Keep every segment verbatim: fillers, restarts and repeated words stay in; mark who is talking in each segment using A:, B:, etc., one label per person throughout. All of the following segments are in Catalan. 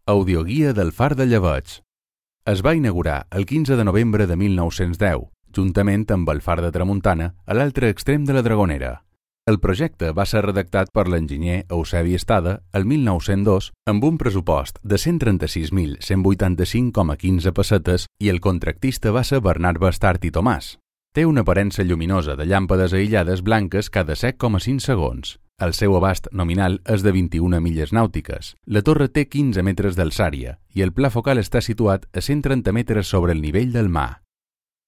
A: Audioguia del Far de Llebeig. Es va inaugurar el quinze de novembre de mil nou-cents deu, juntament amb el Far de Tramuntana, a l'altre extrem de la Dragonera. El projecte va ser redactat per l'enginyer Eusebi Estada el mil nou-cents dos amb un pressupost de cent trenta-sis mil cent vuitanta-cinc coma quinze pessetes i el contractista va ser Bernat Bastart i Tomàs. Té una aparença lluminosa de llàmpades aïllades blanques cada set coma cinc segons. El seu abast nominal és de vint-i-una milles nàutiques. La torre té quinze metres d'alçària i el pla focal està situat a cent trenta metres sobre el nivell del mar.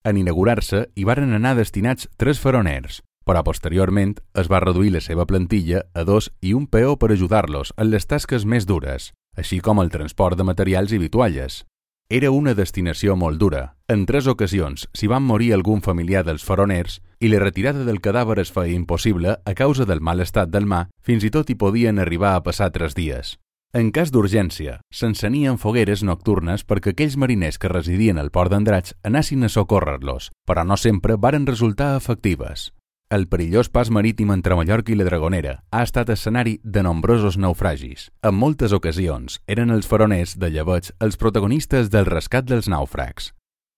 A: En inaugurar-se hi varen anar destinats tres faroners, però posteriorment es va reduir la seva plantilla a dos i un peó per ajudar-los en les tasques més dures, així com el transport de materials i vitualles. Era una destinació molt dura. En tres ocasions s'hi van morir algun familiar dels faroners i la retirada del cadàver es feia impossible a causa del mal estat del mar, fins i tot hi podien arribar a passar tres dies. En cas d'urgència, s'encenien fogueres nocturnes perquè aquells mariners que residien al port d'Andratx anessin a socórrer-los, però no sempre varen resultar efectives. El perillós pas marítim entre Mallorca i la Dragonera ha estat escenari de nombrosos naufragis. En moltes ocasions eren els faroners de Llebeig els protagonistes del rescat dels nàufrags.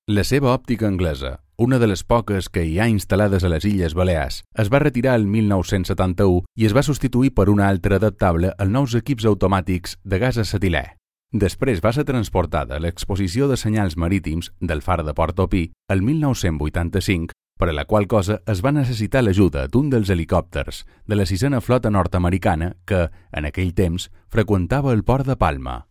A: La seva òptica anglesa, una de les poques que hi ha instal·lades a les Illes Balears, es va retirar el mil nou-cents setanta-u i es va substituir per una altra adaptable als nous equips automàtics de gas acetilè. Després va ser transportada a l'exposició de senyals marítims del Far de Portopí el mil nou-cents vuitanta-cinc, per a la qual cosa es va necessitar l'ajuda d'un dels helicòpters de la sisena flota nord-americana que, en aquell temps, freqüentava el port de Palma.